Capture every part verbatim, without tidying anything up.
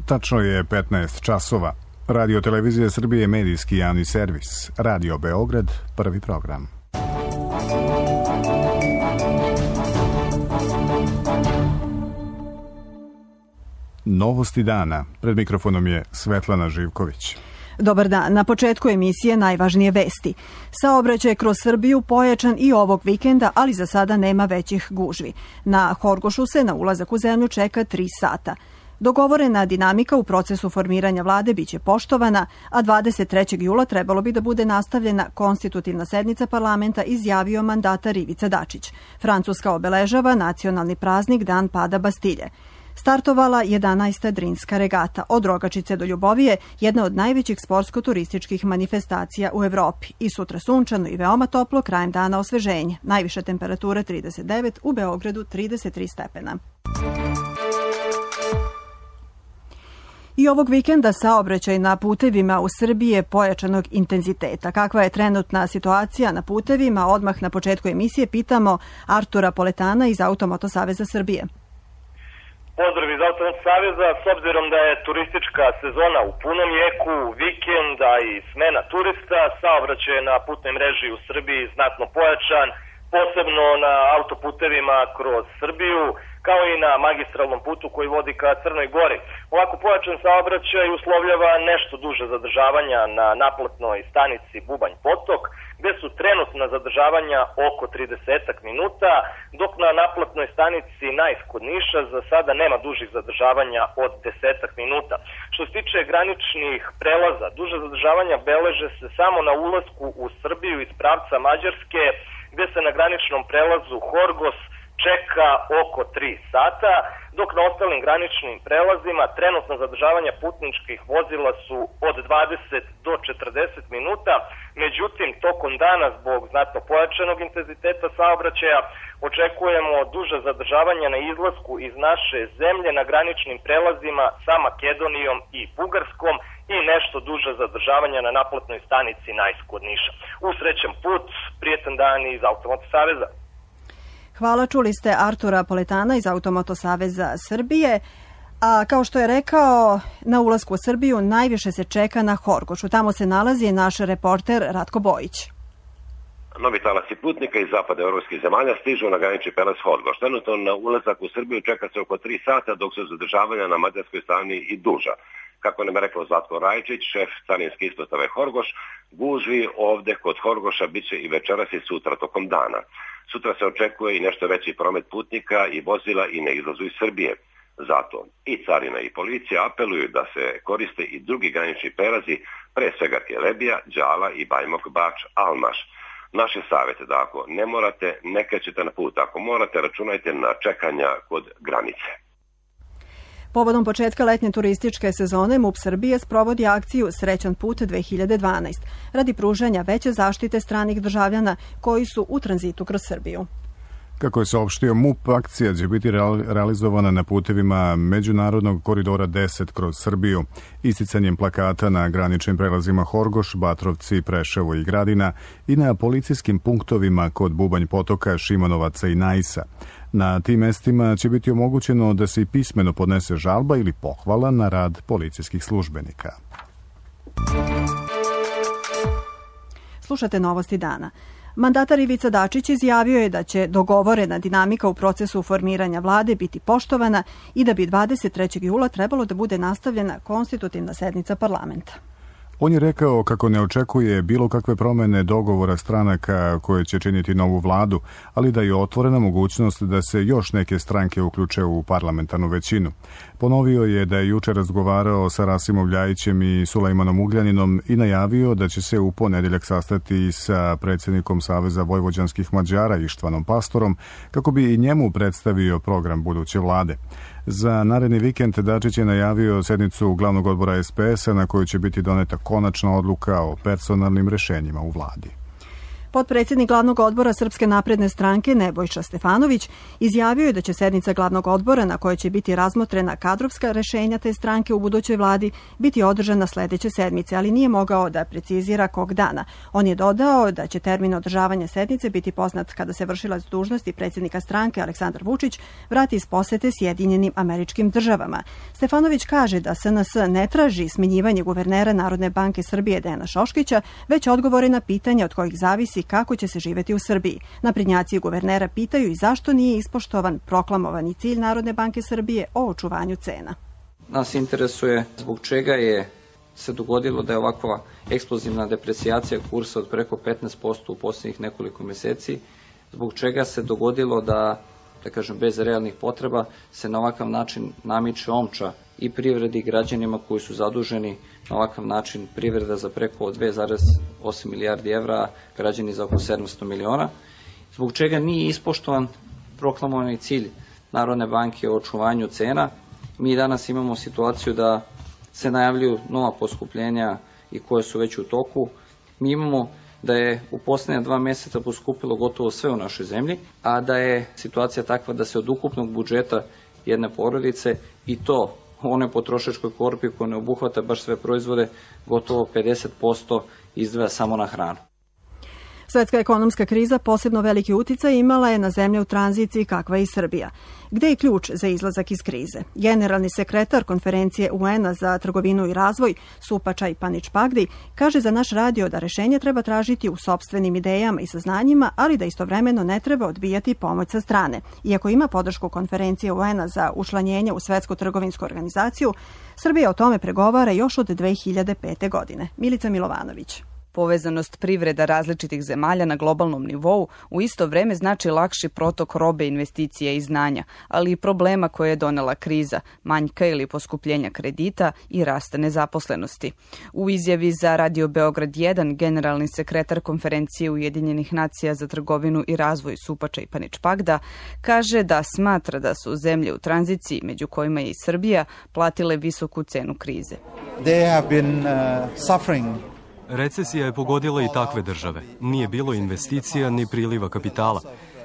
Tačno je petnaest časova. Radio Televizija Srbije je medijski javni servis. Radio Beograd, prvi program. Novosti dana. Pred mikrofonom je Svetlana Živković. Dobar dan. Na početku emisije najvažnije vesti. Saobraćaj kroz Srbiju pojačan i ovog vikenda, ali za sada nema većih gužvi. Na Horgošu se na ulazak u zemlju čeka tri sata. Dogovorena dinamika u procesu formiranja vlade biće poštovana, a dvadeset trećeg jula trebalo bi da bude nastavljena konstitutivna sednica parlamenta, izjavio mandatar Ivica Dačić. Francuska obeležava nacionalni praznik Dan pada Bastilje. Startovala jedanaesta Drinska regata od Rogačice do Ljubovije, jedna od najvećih sportsko-turističkih manifestacija u Evropi. I sutra sunčano i veoma toplo, krajem dana osveženje. Najviša temperatura trideset devet, u Beogradu trideset tri stepena. I ovog vikenda saobraćaj na putevima u Srbiji je pojačanog intenziteta. Kakva je trenutna situacija na putevima? Odmah na početku emisije pitamo Artura Poletana iz Automoto Saveza Srbije. Pozdrav iz Automoto Saveza. S obzirom da je turistička sezona u punom jeku, vikenda i smena turista, saobraćaj na putnoj mreži u Srbiji znatno pojačan, posebno na autoputevima kroz Srbiju, kao i na magistralnom putu koji vodi ka Crnoj Gori. Ovako pojačan saobraćaj uslovljava nešto duže zadržavanja na naplatnoj stanici Bubanj Potok, gde su trenutna zadržavanja oko trideset minuta, dok na naplatnoj stanici Najs kod Niša za sada nema dužih zadržavanja od deset minuta. Što se tiče graničnih prelaza, duže zadržavanja beleže se samo na ulasku u Srbiju iz pravca Mađarske, gde se na graničnom prelazu Horgos čeka oko tri sata, dok na ostalim graničnim prelazima trenutna zadržavanja putničkih vozila su od dvadeset do četrdeset minuta. Međutim, tokom dana zbog znatno pojačanog intenziteta saobraćaja očekujemo duže zadržavanja na izlasku iz naše zemlje na graničnim prelazima sa Makedonijom i Bugarskom i nešto duže zadržavanja na naplatnoj stanici Najs kod Niša. Usrećan put, prijetan dan iz Automoto Saveza. Hvala, čuli ste Artura Poletana iz Automoto Saveza Srbije. A kao što je rekao, na ulasku u Srbiju najviše se čeka na Horgošu. Tamo se nalazi naš reporter Ratko Bojić. Novi talasi putnika iz zapada evropskih zemalja stižu na granični prelaz Horgoš. Trenutno na ulazak u Srbiju čeka se oko tri sata, dok su zadržavanja na mađarskoj strani i duža. Kako nam je rekao Zlatko Rajčić, šef carinske ispostave Horgoš, gužvi ovde kod Horgoša bit će i večeras i sutra tokom dana. Sutra se očekuje i nešto veći promet putnika i vozila i na izlazu iz Srbije. Zato i carina i policija apeluju da se koriste i drugi granični prelazi, pre svega Kelebija, Đala i Bajmok Bač Almaš. Naše savjete da ako ne morate, ne krećete na put. Ako morate, računajte na čekanja kod granice. Povodom početka letnje turističke sezone MUP Srbije sprovodi akciju Srećan put dve hiljade dvanaest radi pružanja veće zaštite stranih državljana koji su u tranzitu kroz Srbiju. Kako je saopštio MUP, akcija će biti realizovana na putevima Međunarodnog koridora deset kroz Srbiju, isticanjem plakata na graničnim prelazima Horgoš, Batrovci, Preševo i Gradina i na policijskim punktovima kod Bubanj Potoka, Šimonovaca i Najsa. Na tim mestima će biti omogućeno da se i pismeno podnese žalba ili pohvala na rad policijskih službenika. Slušate novosti dana. Mandatar Ivica Dačić izjavio je da će dogovorena dinamika u procesu formiranja vlade biti poštovana i da bi dvadeset trećeg jula trebalo da bude nastavljena konstitutivna sednica parlamenta. On je rekao kako ne očekuje bilo kakve promene dogovora stranaka koje će činiti novu vladu, ali da je otvorena mogućnost da se još neke stranke uključe u parlamentarnu većinu. Ponovio je da je juče razgovarao sa Rasimom Ljajićem i Sulejmanom Ugljaninom i najavio da će se u ponedeljak sastati sa predsjednikom Saveza vojvođanskih Mađara Ištvanom Pastorom kako bi i njemu predstavio program buduće vlade. Za naredni vikend Dačić je najavio sednicu glavnog odbora es pe es a na kojoj će biti doneta konačna odluka o personalnim rešenjima u vladi. Potpredsjednik glavnog odbora Srpske napredne stranke Nebojša Stefanović izjavio je da će sednica glavnog odbora na kojoj će biti razmotrena kadrovska rešenja te stranke u budućoj vladi biti održana sledeće sedmice, ali nije mogao da precizira kog dana. On je dodao da će termin održavanja sednice biti poznat kada se vršilac dužnosti predsjednika stranke Aleksandar Vučić vrati iz posete Sjedinjenim Američkim Državama. Stefanović kaže da S N S ne traži smenjivanje guvernera Narodne banke Srbije Dejana Šoškića, već odgovore na pitanja od kojih zavisi kako će se živeti u Srbiji. Naprednjaci guvernera pitaju i zašto nije ispoštovan proklamovani cilj Narodne banke Srbije o očuvanju cena. Nas interesuje zbog čega je se dogodilo da je ovakva eksplozivna deprecijacija kursa od preko petnaest posto u posljednjih nekoliko meseci, zbog čega se dogodilo da, da kažem, bez realnih potreba se na ovakav način namiče omča i privredi i građanima koji su zaduženi na ovakav način, privreda za preko dve zarez osam milijardi evra, građani za oko sedamsto miliona, zbog čega nije ispoštovan proklamovani cilj Narodne banke o očuvanju cena. Mi danas imamo situaciju da se najavljuju nova poskupljenja i koje su već u toku. Mi imamo da je u posljednja dva mjeseca poskupilo gotovo sve u našoj zemlji, a da je situacija takva da se od ukupnog budžeta jedne porodice i to u onoj potrošačkoj korpi koja ne obuhvata baš sve proizvode, gotovo pedeset posto izdvaja samo na hranu. Svetska ekonomska kriza posebno veliki uticaj imala je na zemlje u tranziciji kakva je i Srbija. Gde je ključ za izlazak iz krize? Generalni sekretar konferencije U N-a za trgovinu i razvoj Supačaj Paničpagdi kaže za naš radio da rešenje treba tražiti u sopstvenim idejama i saznanjima, ali da istovremeno ne treba odbijati pomoć sa strane. Iako ima podršku konferencije U N-a za učlanjenje u Svetsku trgovinsku organizaciju, Srbija o tome pregovara još od dve hiljade pete. godine. Milica Milovanović. Povezanost privreda različitih zemalja na globalnom nivou u isto vreme znači lakši protok robe, investicija i znanja, ali i problema koje je donela kriza, manjka ili poskupljenja kredita i rasta nezaposlenosti. U izjavi za Radio Beograd jedan generalni sekretar konferencije Ujedinjenih nacija za trgovinu i razvoj Supačaj Paničpagda kaže da smatra da su zemlje u tranziciji, među kojima je i Srbija, platile visoku cenu krize. They have been uh, suffering. Recesija je pogodila i takve države. Nije bilo investicija ni priliva kapitala.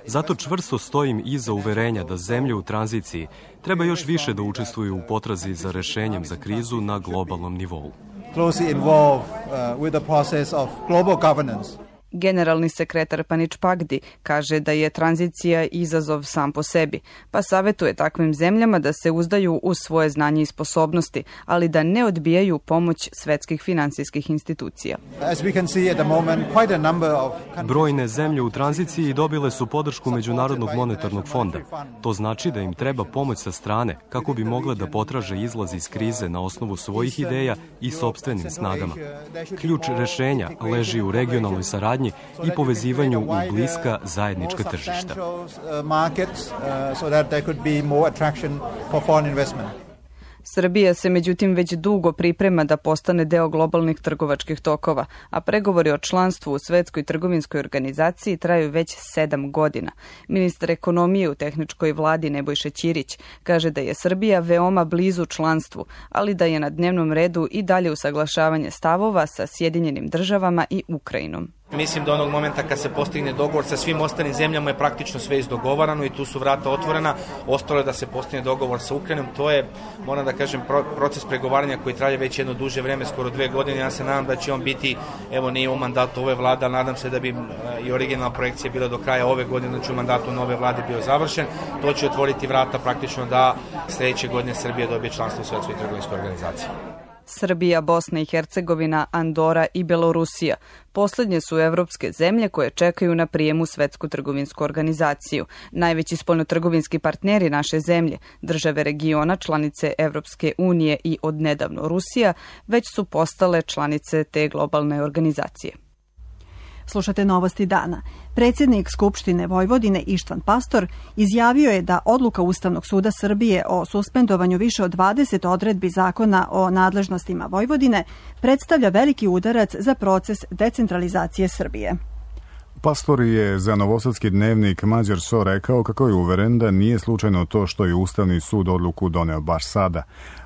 Zato čvrsto stojim iza uverenja da zemlje u tranziciji treba još više da učestvuju u potrazi za rešenjem za krizu na globalnom nivou. Closely involved uh, with the process of global governance. Generalni sekretar Paničpagdi kaže da je tranzicija izazov sam po sebi, pa savjetuje takvim zemljama da se uzdaju u svoje znanje i sposobnosti, ali da ne odbijaju pomoć svetskih finansijskih institucija. Brojne zemlje u tranziciji dobile su podršku Međunarodnog monetarnog fonda. To znači da im treba pomoć sa strane kako bi mogle da potraže izlaz iz krize na osnovu svojih ideja i sopstvenim snagama. Ključ rešenja leži u regionalnoj saradnji i povezivanju u bliska zajednička tržišta. Srbija se međutim već dugo priprema da postane deo globalnih trgovačkih tokova, a pregovori o članstvu u Svetskoj trgovinskoj organizaciji traju već sedam godina. Ministar ekonomije u tehničkoj vladi Nebojša Ćirić kaže da je Srbija veoma blizu članstvu, ali da je na dnevnom redu i dalje usaglašavanje stavova sa Sjedinjenim državama i Ukrajinom. Mislim da onog momenta kad se postigne dogovor sa svim ostalim zemljama je praktično sve izdogovarano i tu su vrata otvorena. Ostalo je da se postigne dogovor sa Ukrajinom. To je, moram da kažem, proces pregovaranja koji traje već jedno duže vreme, skoro dve godine. Ja se nadam da će on biti, evo nije u mandatu ove vlade, ali nadam se da bi i originalna projekcija bila do kraja ove godine, da će u mandatu nove vlade bio završen. To će otvoriti vrata praktično da sledeće godine Srbija dobije članstvo u Svetskoj trgovinskoj organizaciji. Srbija, Bosna i Hercegovina, Andora i Belorusija. Poslednje su evropske zemlje koje čekaju na prijem u Svetsku trgovinsku organizaciju. Najveći spoljnotrgovinski partneri naše zemlje, države regiona, članice Evropske unije i odnedavno Rusija, već su postale članice te globalne organizacije. Slušate novosti dana. Predsjednik Skupštine Vojvodine Ištvan Pastor izjavio je da odluka Ustavnog suda Srbije o suspendovanju više od dvadeset odredbi zakona o nadležnostima Vojvodine predstavlja veliki udarac za proces decentralizacije Srbije. Pastor je za Novosadski dnevnik Mađar So rekao kako je uveren da nije slučajno to što je Ustavni sud odluku doneo baš sada.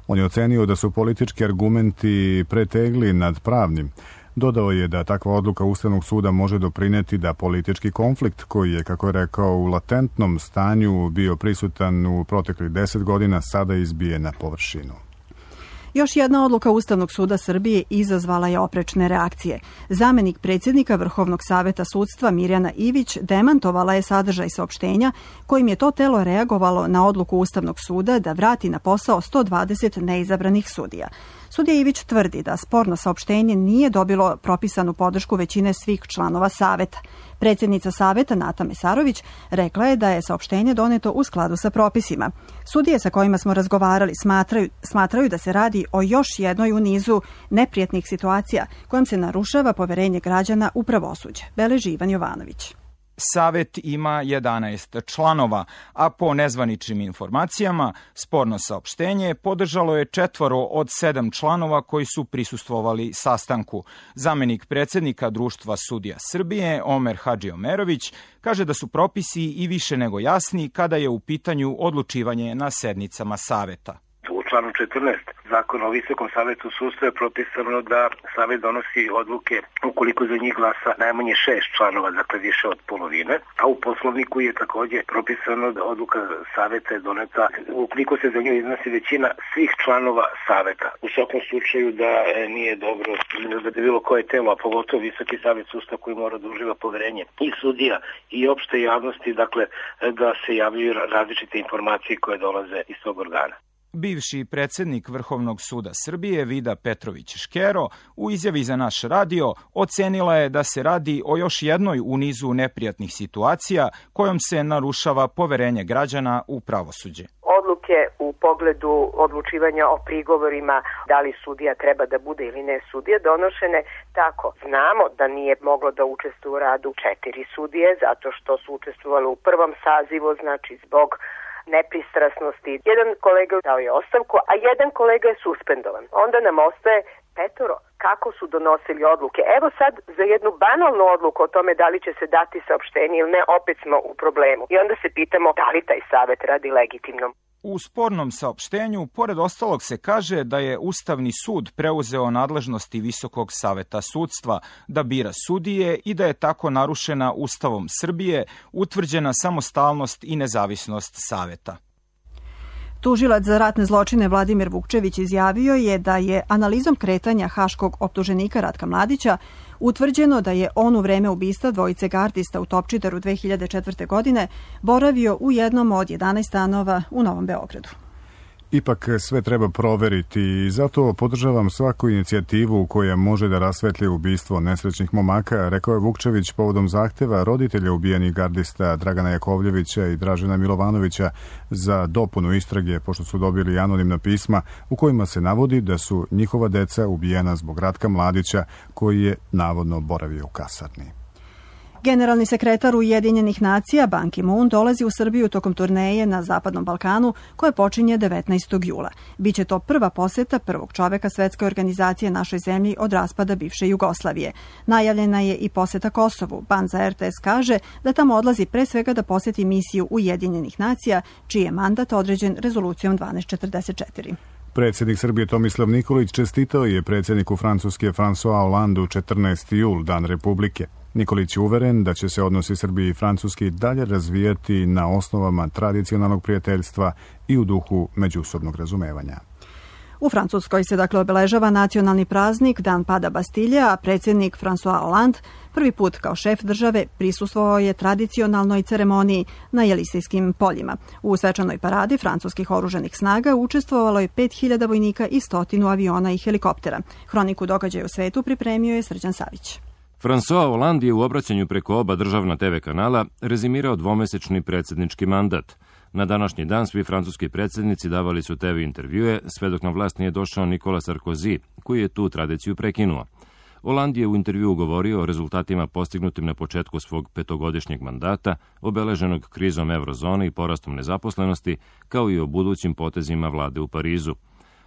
On je ocenio da su politički argumenti pretegli nad pravnim. Dodao je da takva odluka Ustavnog suda može doprineti da politički konflikt, koji je, kako je rekao, u latentnom stanju bio prisutan u proteklih deset godina, sada izbije na površinu. Još jedna odluka Ustavnog suda Srbije izazvala je oprečne reakcije. Zamenik predsjednika Vrhovnog saveta sudstva Mirjana Ivić demantovala je sadržaj saopštenja kojim je to telo reagovalo na odluku Ustavnog suda da vrati na posao sto dvadeset neizabranih sudija. Sudija Ivić tvrdi da sporno saopštenje nije dobilo propisanu podršku većine svih članova saveta. Predsjednica saveta Nata Mesarović rekla je da je saopštenje doneto u skladu sa propisima. Sudije sa kojima smo razgovarali smatraju, smatraju da se radi o još jednoj u nizu neprijatnih situacija kojom se narušava poverenje građana u pravosuđe. Beleži Ivan Jovanović. Savet ima jedanaest članova, a po nezvaničnim informacijama sporno saopštenje podržalo je četvoro od sedam članova koji su prisustvovali sastanku. Zamenik predsjednika Društva sudija Srbije, Omer Hadžiomerović, kaže da su propisi i više nego jasni kada je u pitanju odlučivanje na sednicama saveta. U članu četrnaest Zakona o Visokom savetu sudstva je propisano da savet donosi odluke ukoliko za njih glasa najmanje šest članova, dakle više od polovine, a u Poslovniku je također propisano da odluka saveta je doneta ukoliko se za nju iznosi većina svih članova saveta. U svakom slučaju da nije dobro da bi bilo koje telo, a pogotovo Visoki savet sudstva koji mora da uživa poverenje i sudija i opšte javnosti, dakle da se javljaju različite informacije koje dolaze iz tog organa. Bivši predsjednik Vrhovnog suda Srbije Vida Petrović-Škero u izjavi za naš radio ocenila je da se radi o još jednoj u nizu neprijatnih situacija kojom se narušava poverenje građana u pravosuđe. Odluke u pogledu odlučivanja o prigovorima da li sudija treba da bude ili ne sudija donošene tako. Znamo da nije moglo da učestvuje u radu četiri sudije zato što su učestvovali u prvom sazivu, znači zbog nepristrasnosti. Jedan kolega dao je ostavku, a jedan kolega je suspendovan. Onda nam ostaje petoro. Kako su donosili odluke? Evo sad za jednu banalnu odluku o tome da li će se dati saopštenje ili ne, opet smo u problemu. I onda se pitamo da li taj savet radi legitimno. U spornom saopštenju, pored ostalog, se kaže da je Ustavni sud preuzeo nadležnosti Visokog saveta sudstva da bira sudije i da je tako narušena Ustavom Srbije utvrđena samostalnost i nezavisnost saveta. Tužilac za ratne zločine Vladimir Vukčević izjavio je da je analizom kretanja haškog optuženika Ratka Mladića utvrđeno da je on u vreme ubistva dvojice gardista u Topčideru dve hiljade četvrte. godine boravio u jednom od jedanaest stanova u Novom Beogradu. Ipak sve treba proveriti i zato podržavam svaku inicijativu koja može da rasvetlji ubistvo nesrećnih momaka, rekao je Vukčević povodom zahteva roditelja ubijenih gardista Dragana Jakovljevića i Dražena Milovanovića za dopunu istrage, pošto su dobili anonimna pisma u kojima se navodi da su njihova deca ubijena zbog Ratka Mladića, koji je navodno boravio u kasarni. Generalni sekretar Ujedinjenih nacija Ban Ki-moon dolazi u Srbiju tokom turneje na Zapadnom Balkanu koje počinje devetnaestog jula. Biće to prva poseta prvog čoveka svetske organizacije našoj zemlji od raspada bivše Jugoslavije. Najavljena je i poseta Kosovu. Ban za R T S kaže da tamo odlazi pre svega da poseti misiju Ujedinjenih nacija, čiji je mandat određen rezolucijom dvanaest četrdeset četiri. Predsjednik Srbije Tomislav Nikolić čestitao je predsjedniku Francuske François Hollandeu četrnaesti jul, Dan Republike. Nikolić je uveren da će se odnosi Srbije i Francuske dalje razvijati na osnovama tradicionalnog prijateljstva i u duhu međusobnog razumevanja. U Francuskoj se dakle obeležava nacionalni praznik Dan pada Bastilje, a predsjednik François Hollande prvi put kao šef države prisustvovao je tradicionalnoj ceremoniji na Jelisejskim poljima. U svečanoj paradi francuskih oružanih snaga učestvovalo je pet hiljada vojnika i stotinu aviona i helikoptera. Hroniku događaja u svetu pripremio je Srđan Savić. François Hollande je u obraćanju preko oba državna te ve kanala rezimirao dvomesečni predsjednički mandat. Na današnji dan svi francuski predsjednici davali su te ve intervjue, sve dok na vlast nije došao Nicolas Sarkozy, koji je tu tradiciju prekinuo. Hollande je u intervjuu govorio o rezultatima postignutim na početku svog petogodišnjeg mandata, obeleženog krizom eurozone i porastom nezaposlenosti, kao i o budućim potezima vlade u Parizu.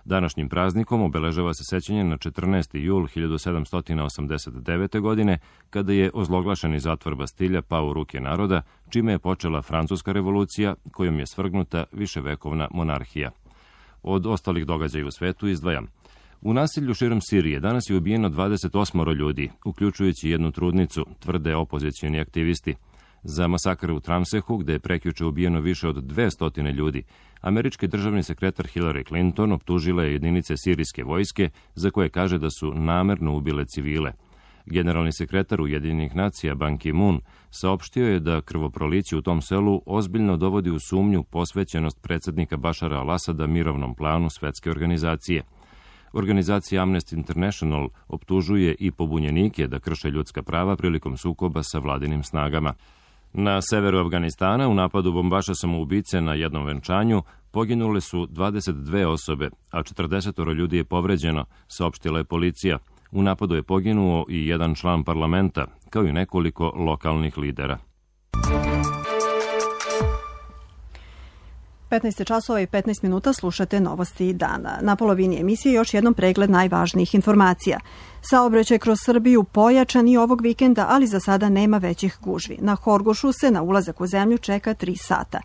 Današnjim praznikom obeležava se sećanje na četrnaesti jul hiljadu sedamsto osamdeset devete. godine, kada je ozloglašeni zatvor Bastilja pao u ruke naroda, čime je počela Francuska revolucija, kojom je svrgnuta viševekovna monarhija. Od ostalih događaja u svetu izdvajam. U nasilju širom Sirije danas je ubijeno dvadeset osam ljudi, uključujući jednu trudnicu, tvrde opozicioni aktivisti. Za masakr u Tramsehu, gde je prekjuče ubijeno više od dvesta ljudi, američki državni sekretar Hillary Clinton optužila je jedinice sirijske vojske za koje kaže da su namerno ubile civile. Generalni sekretar Ujedinjenih nacija Ban Ki-moon saopštio je da krvoproliće u tom selu ozbiljno dovodi u sumnju posvećenost predsednika Bašara al-Asada mirovnom planu svetske organizacije. Organizacija Amnesty International optužuje i pobunjenike da krše ljudska prava prilikom sukoba sa vladinim snagama. Na severu Afganistana u napadu bombaša samoubice na jednom venčanju poginule su dvadeset dve osobe, a četrdeset ljudi je povređeno, saopštila je policija. U napadu je poginuo i jedan član parlamenta, kao i nekoliko lokalnih lidera. petnaest časova i petnaest minuta slušate Novosti dana. Na polovini emisije još jednom pregled najvažnijih informacija. Saobraćaj kroz Srbiju pojačan i ovog vikenda, ali za sada nema većih gužvi. Na Horgošu se na ulazak u zemlju čeka tri sata.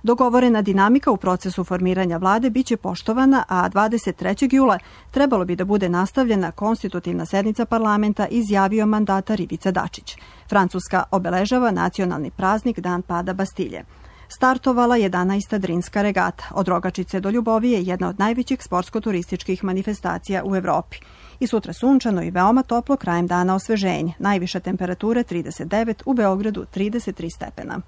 Dogovorena dinamika u procesu formiranja vlade biće poštovana, a dvadeset trećeg jula trebalo bi da bude nastavljena konstitutivna sednica parlamenta, izjavio mandatar Ivica Dačić. Francuska obeležava nacionalni praznik Dan pada Bastilje. Startovala jedanaesta Drinska regata. Od Rogačice do Ljubovije jedna od najvećih sportsko-turističkih manifestacija u Evropi. I sutra sunčano i veoma toplo, krajem dana osveženje. Najviša temperatura trideset devet, u Beogradu trideset tri stepena.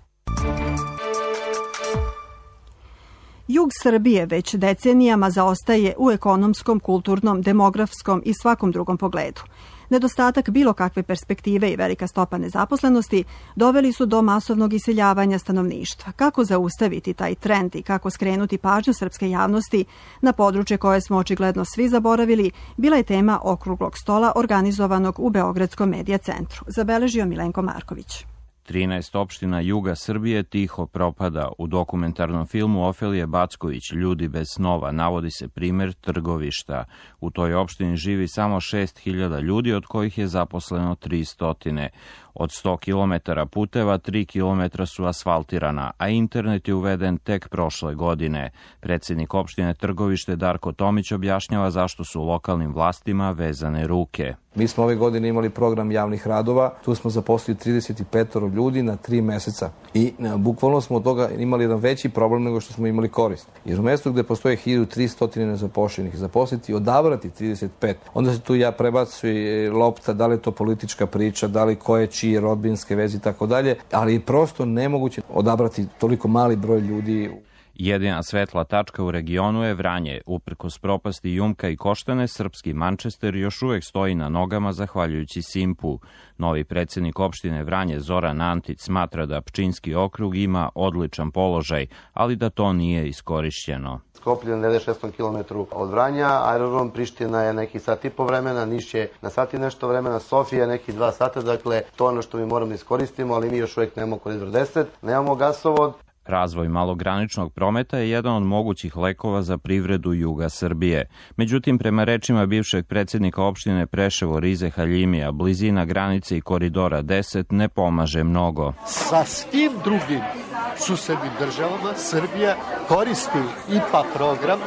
Jug Srbije već decenijama zaostaje u ekonomskom, kulturnom, demografskom i svakom drugom pogledu. Nedostatak bilo kakve perspektive i velika stopa nezaposlenosti doveli su do masovnog iseljavanja stanovništva. Kako zaustaviti taj trend i kako skrenuti pažnju srpske javnosti na područje koje smo očigledno svi zaboravili, bila je tema okruglog stola organizovanog u Beogradskom medija centru. Zabeležio Milenko Marković. trinaest opština juga Srbije tiho propada. U dokumentarnom filmu Ofelije Backović Ljudi bez snova navodi se primer Trgovišta. U toj opštini živi samo šest hiljada ljudi, od kojih je zaposleno tristo. Od sto kilometara puteva, tri kilometra su asfaltirana, a internet je uveden tek prošle godine. Predsednik opštine Trgovište Darko Tomić objašnjava zašto su lokalnim vlastima vezane ruke. Mi smo ove godine imali program javnih radova, tu smo zaposlili trideset pet ljudi na tri meseca i bukvalno smo od toga imali jedan veći problem nego što smo imali korist. Jer u mestu gde postoje hiljadu tristo nezapošljenih, zaposliti i odabrati trideset pet, onda se tu ja prebacuje lopta, da li je to politička priča, da li ko je čije rodbinske veze i tako dalje, ali je prosto nemoguće odabrati toliko mali broj ljudi. Jedina svetla tačka u regionu je Vranje. Uprkos propasti Jumka i Koštane, srpski Manchester još uvek stoji na nogama zahvaljujući Simpu. Novi predsednik opštine Vranje Zoran Antić smatra da Pčinjski okrug ima odličan položaj, ali da to nije iskorišćeno. Skoplje na devedeset šestom kilometru od Vranja, aerodrom Priština je neki sat i po vremena, Niš je na sat i nešto vremena, Sofija je neki dva sata, dakle to je ono što mi moramo iskoristimo, ali mi još uvek nemamo koridor deset, nemamo gasovod. Razvoj malograničnog prometa je jedan od mogućih lekova za privredu juga Srbije. Međutim, prema rečima bivšeg predsednika opštine Preševo Rize Haljimija, blizina granice i koridora deset ne pomaže mnogo. Sa svim drugim susednim državama Srbija koristi I P A program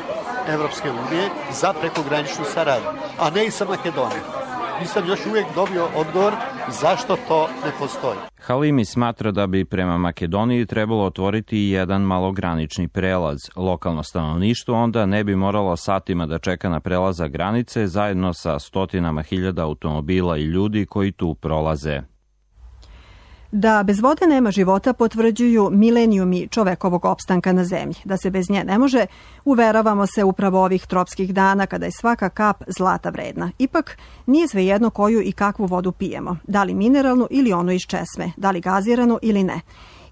Evropske unije za prekograničnu saradnju, a ne I sa Makedonijom. Nisam još uvijek dobio odgovor zašto to ne postoji. Halimi smatra da bi prema Makedoniji trebalo otvoriti jedan malogranični prelaz. Lokalno stanovništvo onda ne bi moralo satima da čeka na prelaza granice zajedno sa stotinama hiljada automobila i ljudi koji tu prolaze. Da bez vode nema života potvrđuju milenijumi čovekovog opstanka na zemlji. Da se bez nje ne može, uveravamo se upravo ovih tropskih dana kada je svaka kap zlata vredna. Ipak, nije svejedno koju i kakvu vodu pijemo. Da li mineralnu ili onu iz česme, da li gaziranu ili ne.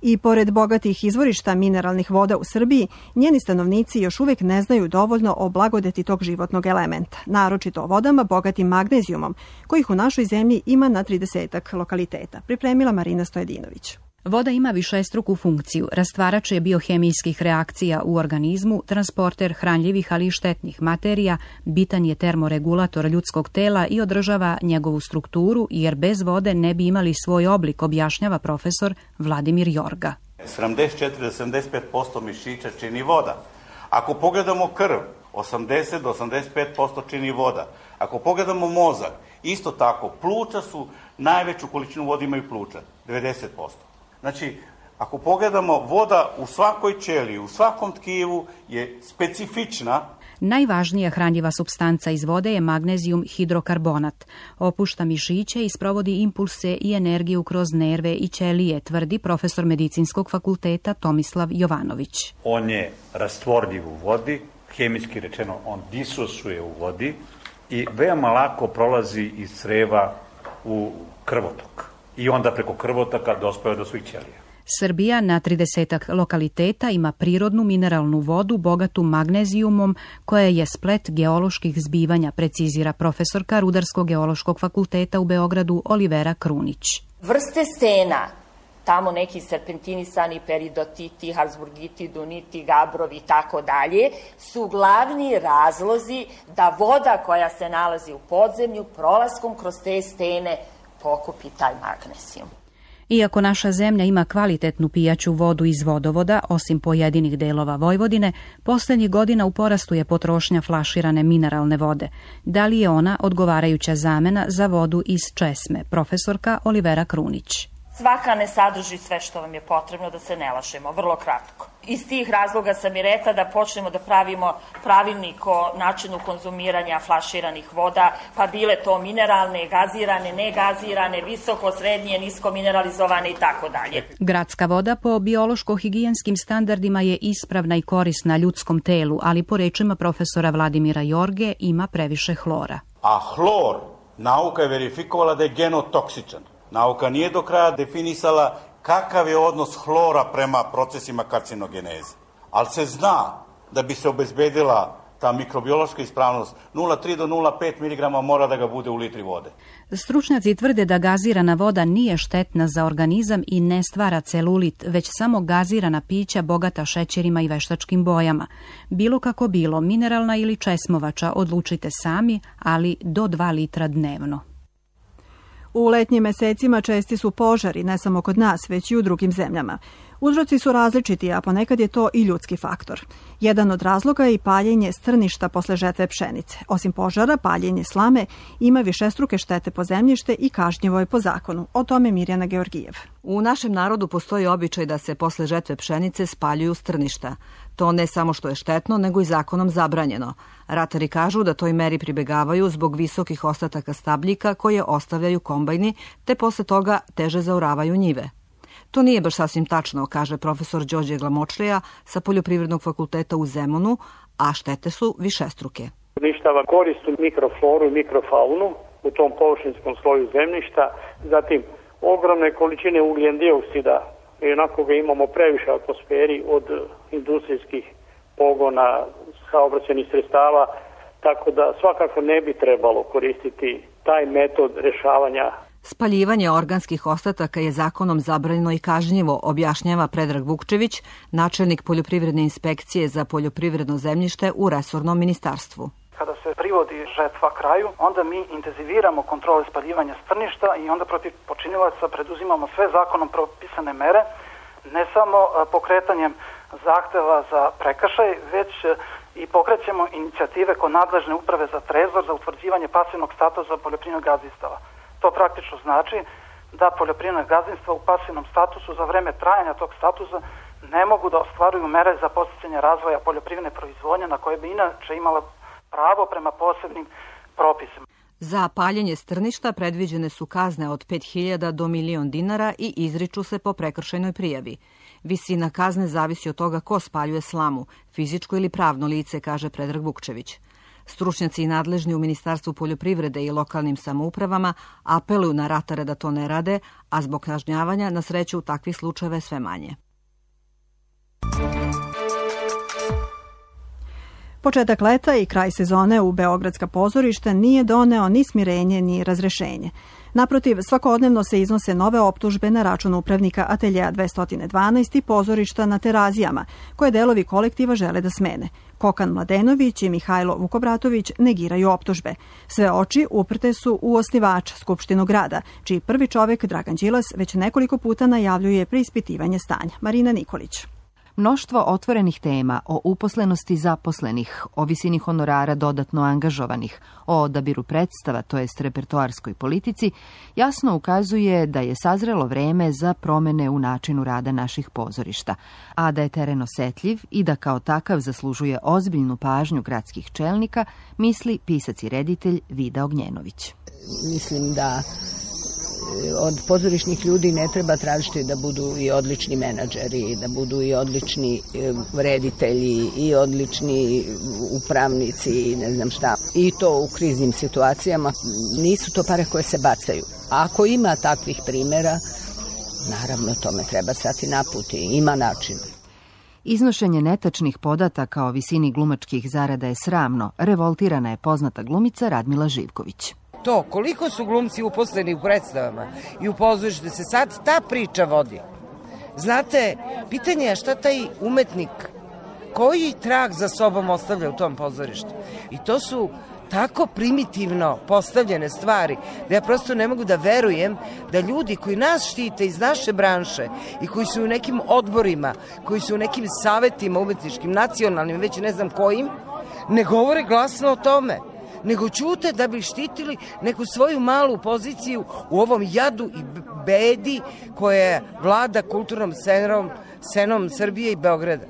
I pored bogatih izvorišta mineralnih voda u Srbiji, njeni stanovnici još uvijek ne znaju dovoljno o blagodeti tog životnog elementa, naročito o vodama bogatim magnezijumom, kojih u našoj zemlji ima na tridesetak lokaliteta, pripremila Marina Stojedinović. Voda ima višestruku funkciju, rastvarač je biohemijskih reakcija u organizmu, transporter hranljivih ali i štetnih materija, bitan je termoregulator ljudskog tela i održava njegovu strukturu, jer bez vode ne bi imali svoj oblik, objašnjava profesor Vladimir Jorga. sedamdeset četiri do sedamdeset pet posto mišića čini voda. Ako pogledamo krv, osamdeset do osamdeset pet posto čini voda. Ako pogledamo mozak, isto tako, pluća su, najveću količinu vode imaju pluća, devedeset posto. Znači, ako pogledamo, voda u svakoj ćeliji, u svakom tkivu je specifična. Najvažnija hranjiva supstanca iz vode je magnezijum hidrokarbonat. Opušta mišiće i sprovodi impulse i energiju kroz nerve i ćelije, tvrdi profesor Medicinskog fakulteta Tomislav Jovanović. On je rastvorljiv u vodi, hemijski rečeno on disosuje u vodi i veoma lako prolazi iz creva u krvotok. I onda preko krvotoka dospeje do svih ćelija. Srbija na tridesetak lokaliteta ima prirodnu mineralnu vodu bogatu magnezijumom koja je splet geoloških zbivanja, precizira profesorka Rudarsko-geološkog fakulteta u Beogradu Olivera Krunić. Vrste stena, tamo neki serpentinisani, peridotiti, harzburgiti, duniti, gabrovi i tako dalje, su glavni razlozi da voda koja se nalazi u podzemlju prolaskom kroz te stene pokupi taj magnezijum. Iako naša zemlja ima kvalitetnu pijaću vodu iz vodovoda, osim pojedinih delova Vojvodine, poslednjih godina u porastu je potrošnja flaširane mineralne vode. Da li je ona odgovarajuća zamena za vodu iz česme? Profesorka Olivera Krunić. Svaka ne sadrži sve što vam je potrebno, da se ne lažemo, vrlo kratko. Iz tih razloga sam i rekla da počnemo da pravimo pravilnik o načinu konzumiranja flaširanih voda, pa bile to mineralne, gazirane, negazirane, visoko, srednje, nisko mineralizovane i tako dalje. Gradska voda po biološko-higijenskim standardima je ispravna i korisna ljudskom telu, ali po rečima profesora Vladimira Jorge ima previše hlora. A hlor, nauka je verifikovala da je genotoksičan. Nauka nije do kraja definisala kakav je odnos hlora prema procesima karcinogeneze. Ali se zna da bi se obezbedila ta mikrobiološka ispravnost, nula zarez tri do nula zarez pet miligrama mora da ga bude u litri vode. Stručnjaci tvrde da gazirana voda nije štetna za organizam i ne stvara celulit, već samo gazirana pića bogata šećerima i veštačkim bojama. Bilo kako bilo, mineralna ili česmovača, odlučite sami, ali do dva litra dnevno. U letnjim mesecima česti su požari, ne samo kod nas, već i u drugim zemljama. Uzroci su različiti, a ponekad je to i ljudski faktor. Jedan od razloga je i paljenje strništa posle žetve pšenice. Osim požara, paljenje slame ima višestruke štete po zemljište i kažnjivo je po zakonu. O tome Mirjana Georgijev. U našem narodu postoji običaj da se posle žetve pšenice spaljuju strništa. To ne samo što je štetno, nego i zakonom zabranjeno. Ratari kažu da toj meri pribegavaju zbog visokih ostataka stabljika koje ostavljaju kombajni, te posle toga teže zaoravaju njive. To nije baš sasvim tačno, kaže profesor Đorđe Glamočlija sa Poljoprivrednog fakulteta u Zemunu, a štete su višestruke. Uništava koristu mikrofloru i mikrofaunu u tom površinskom sloju zemljišta, zatim ogromne količine ugljen dioksida, i onako ga imamo previše u atmosferi od industrijskih pogona, saobraćajnih sredstava, tako da svakako ne bi trebalo koristiti taj metod rešavanja. Spaljivanje organskih ostataka je zakonom zabranjeno i kažnjivo, objašnjava Predrag Vukčević, načelnik Poljoprivredne inspekcije za poljoprivredno zemljište u resornom ministarstvu. Kada se privodi žetva kraju, onda mi intenziviramo kontrole spaljivanja strništa i onda protiv počinilaca preduzimamo sve zakonom propisane mere, ne samo pokretanjem zahteva za prekršaj, već i pokrećemo inicijative kod nadležne uprave za trezor za utvrđivanje pasivnog statusa poljoprivrednog gazdinstava. To praktično znači da poljoprivredna gazdinstva u pasivnom statusu za vreme trajanja tog statusa ne mogu da ostvaruju mere za podsticanje razvoja poljoprivredne proizvodnje na koje bi inače imala pravo prema posebnim propisima. Za paljenje strništa predviđene su kazne od pet hiljada do milion dinara i izriču se po prekršajnoj prijavi. Visina kazne zavisi od toga ko spaljuje slamu, fizičko ili pravno lice, kaže Predrag Vukčević. Stručnjaci i nadležni u Ministarstvu poljoprivrede i lokalnim samoupravama apeluju na ratare da to ne rade, a zbog kažnjavanja na sreću takvih slučajeva je sve manje. Početak leta i kraj sezone u beogradska pozorišta nije doneo ni smirenje ni razrešenje. Naprotiv, svakodnevno se iznose nove optužbe na račun upravnika ateljeja dvesta dvanaest i pozorišta na Terazijama, koje delovi kolektiva žele da smene. Kokan Mladenović i Mihajlo Vukobratović negiraju optužbe. Sve oči uprte su u osnivač Skupštinu grada, čiji prvi čovek Dragan Đilas već nekoliko puta najavljuje preispitivanje stanja. Marina Nikolić. Mnoštvo otvorenih tema o uposlenosti zaposlenih, o visini honorara dodatno angažovanih, o odabiru predstava, to jest repertoarskoj politici, jasno ukazuje da je sazrelo vreme za promene u načinu rada naših pozorišta, a da je teren osetljiv i da kao takav zaslužuje ozbiljnu pažnju gradskih čelnika, misli pisac i reditelj Vida Ognjenović. Mislim da od pozorišnih ljudi ne treba tražiti da budu i odlični menadžeri, da budu i odlični reditelji, i odlični upravnici, i ne znam šta. I to u kriznim situacijama. Nisu to pare koje se bacaju. Ako ima takvih primjera, naravno tome treba stati na put i ima način. Iznošenje netačnih podataka o visini glumačkih zarada je sramno, revoltirana je poznata glumica Radmila Živković. To, koliko su glumci uposleni u predstavama i u pozorištu, da se sad ta priča vodi. Znate, pitanje je šta taj umetnik, koji trag za sobom ostavlja u tom pozorištu. I to su tako primitivno postavljene stvari da ja prosto ne mogu da verujem da ljudi koji nas štite iz naše branše i koji su u nekim odborima, koji su u nekim savetima umetničkim, nacionalnim, već ne znam kojim, ne govore glasno o tome, nego ćute da bi štitili neku svoju malu poziciju u ovom jadu i bedi koja vlada kulturnom scenom, scenom Srbije i Beograda.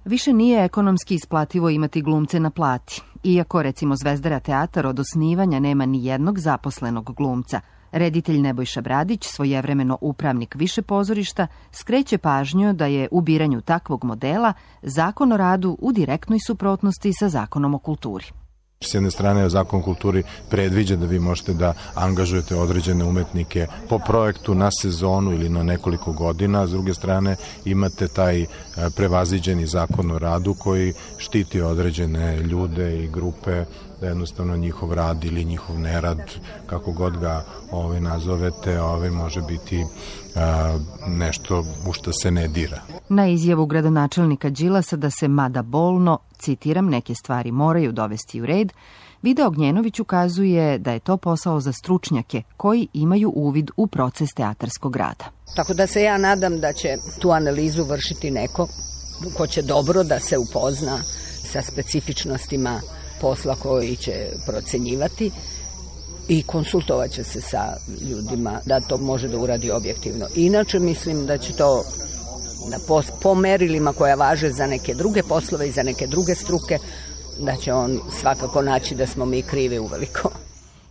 Više nije ekonomski isplativo imati glumce na plati. Iako, recimo, Zvezdara teatar od osnivanja nema ni jednog zaposlenog glumca, reditelj Nebojša Bradić, svojevremeno upravnik više pozorišta, skreće pažnju da je u biranju takvog modela Zakon o radu u direktnoj suprotnosti sa Zakonom o kulturi. S jedne strane, Zakon o kulturi predviđa da vi možete da angažujete određene umetnike po projektu na sezonu ili na nekoliko godina, a s druge strane imate taj prevaziđeni Zakon o radu koji štiti određene ljude i grupe, da jednostavno njihov rad ili njihov nerad, kako god ga ove nazovete, ove može biti a, nešto u što se ne dira. Na izjavu gradonačelnika Đilasa da se, mada bolno, citiram, neke stvari moraju dovesti u red, Vida Ognjenović ukazuje da je to posao za stručnjake koji imaju uvid u proces teatarskog rada. Tako da se ja nadam da će tu analizu vršiti neko ko će dobro da se upozna sa specifičnostima posla koji će procenjivati i konsultovat će se sa ljudima da to može da uradi objektivno. Inače mislim da će to po merilima koja važe za neke druge poslove i za neke druge struke, da će on svakako naći da smo mi krivi uveliko.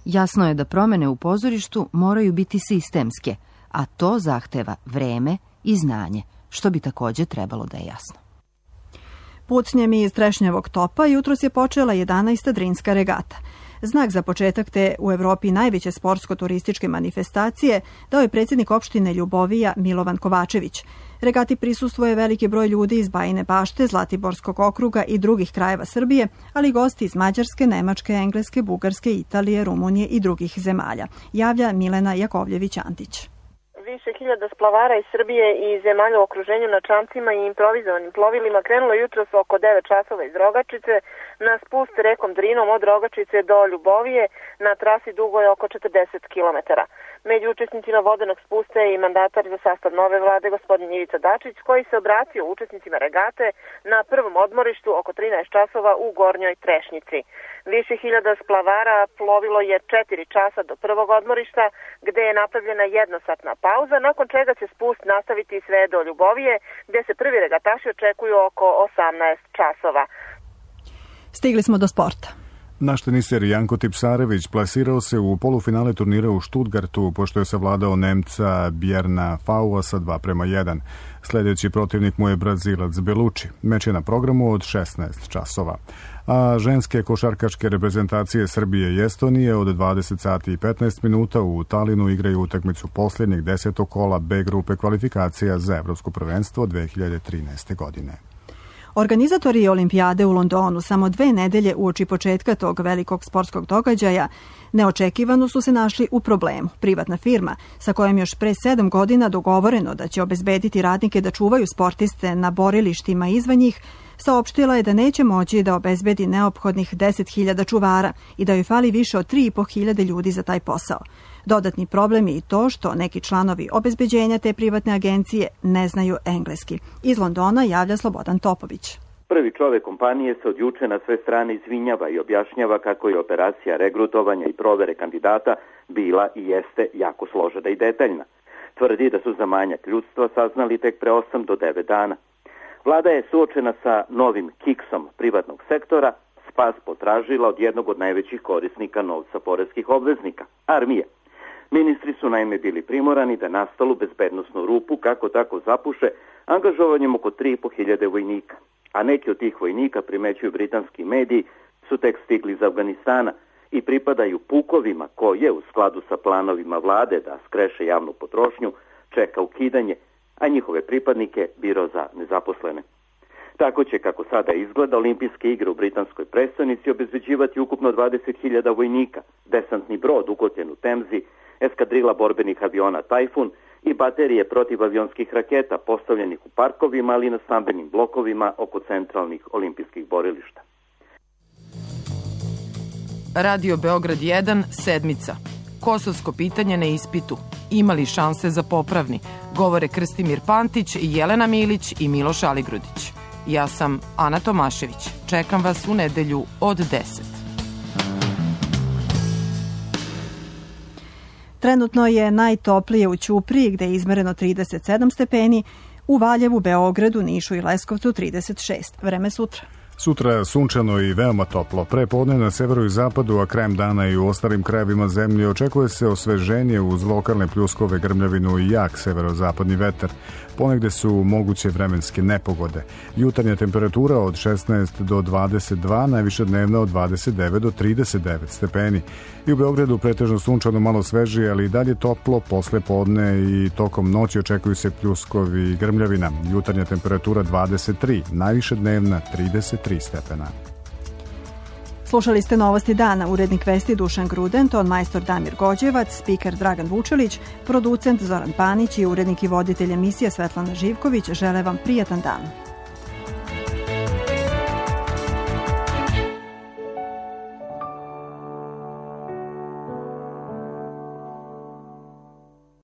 Jasno je da promene u pozorištu moraju biti sistemske, a to zahteva vreme i znanje, što bi takođe trebalo da je jasno. Pucnjem iz Trešnjevog topa jutros je počela jedanaesta Drinska regata. Znak za početak te u Evropi najveće sportsko-turističke manifestacije dao je predsjednik opštine Ljubovija Milovan Kovačević. Regati prisustvuje veliki broj ljudi iz Bajine Bašte, Zlatiborskog okruga i drugih krajeva Srbije, ali gosti iz Mađarske, Nemačke, Engleske, Bugarske, Italije, Rumunije i drugih zemalja. Javlja Milena Jakovljević-Antić. Više hiljada splavara iz Srbije i zemalja u okruženju na čamcima i improvizovanim plovilima krenulo jutros oko devet časova iz Rogačice na spust rekom Drinom od Rogačice do Ljubovije na trasi dugoj oko četrdeset kilometara. Među učesnicima vodenog spusta je i mandatar za sastav nove vlade gospodin Ivica Dačić, koji se obratio učesnicima regate na prvom odmorištu oko trinaest časova u Gornjoj Trešnjici. Više hiljada splavara plovilo je četiri časa do prvog odmorišta, gde je napravljena jednosatna pauza, nakon čega će spust nastaviti sve do Ljubovije, gde se prvi regataši očekuju oko osamnaest časova. Stigli smo do sporta. Naš teniser Janko Tipsarević plasirao se u polufinale turnira u Stuttgartu, pošto je savladao Nemca Bjerna Faua sa dva prema jedan. Sljedeći protivnik mu je Brazilac Belucci. Meč je na programu od šesnaest časova. A ženske košarkaške reprezentacije Srbije i Estonije od dvadeset sati i petnaest minuta u Talinu igraju utakmicu posljednjeg desetog kola B grupe kvalifikacija za Evropsko prvenstvo dve hiljade trinaeste. godine. Organizatori olimpijade u Londonu samo dve nedelje uoči početka tog velikog sportskog događaja neočekivano su se našli u problemu. Privatna firma, sa kojom još pre sedam godina dogovoreno da će obezbediti radnike da čuvaju sportiste na borilištima izvan njih, saopštila je da neće moći da obezbedi neophodnih deset hiljada čuvara i da joj fali više od tri i po hiljade ljudi za taj posao. Dodatni problem je i to što neki članovi obezbeđenja te privatne agencije ne znaju engleski. Iz Londona javlja Slobodan Topović. Prvi čovek kompanije se od juče na sve strane izvinjava i objašnjava kako je operacija regrutovanja i provere kandidata bila i jeste jako složena i detaljna. Tvrdi da su za manjak ljudstva saznali tek pre osam do devet dana. Vlada je suočena sa novim kiksom privatnog sektora, spas potražila od jednog od najvećih korisnika novca poreskih obveznika, armije. Ministri su naime bili primorani da nastalu bezbednosnu rupu kako tako zapuše angažovanjem oko tri i po hiljade vojnika. A neki od tih vojnika, primećuju britanski mediji, su tek stigli iz Afganistana i pripadaju pukovima koje, u skladu sa planovima vlade da skreše javnu potrošnju, čeka ukidanje, a njihove pripadnike biro za nezaposlene. Tako će, kako sada izgleda, olimpijske igre u britanskoj prestonici obezbeđivati ukupno dvadeset hiljada vojnika, desantni brod ukotljen u Temzi, eskadrila borbenih aviona Tajfun i baterije protivavionskih raketa postavljenih u parkovima, ali i na stambenim blokovima oko centralnih olimpijskih borilišta. Radio Beograd jedan, sedmica. Kosovsko pitanje na ispitu. Ima li šanse za popravni? Govore Krstimir Pantić, Jelena Milić i Miloš Aligrudić. Ja sam Ana Tomašević. Čekam vas u nedelju od deset. Trenutno je najtoplije u Ćupriji, gde je izmereno trideset sedam stepeni, u Valjevu, Beogradu, Nišu i Leskovcu trideset šest. Vreme sutra. Sutra sunčano i veoma toplo. Pre podne na severu i zapadu, a krajem dana i u ostalim krajevima zemlje očekuje se osveženje uz lokalne pljuskove, grmljavinu i jak severozapadni vetar. Ponegde su moguće vremenske nepogode. Jutarnja temperatura od šesnaest do dvadeset dva, najviša dnevna od dvadeset devet do trideset devet stepeni. I u Beogradu pretežno sunčano, malo svežije, ali i dalje toplo. Posle podne i tokom noći očekuju se pljuskovi i grmljavina. Jutarnja temperatura dvadeset tri, najviša dnevna trideset tri stepena. Slušali ste Novosti dana, urednik vesti Dušan Gruden, ton majstor Damir Gođevac, spiker Dragan Vučelić, producent Zoran Panić i urednik i voditelj emisije Svetlana Živković žele vam prijatan dan.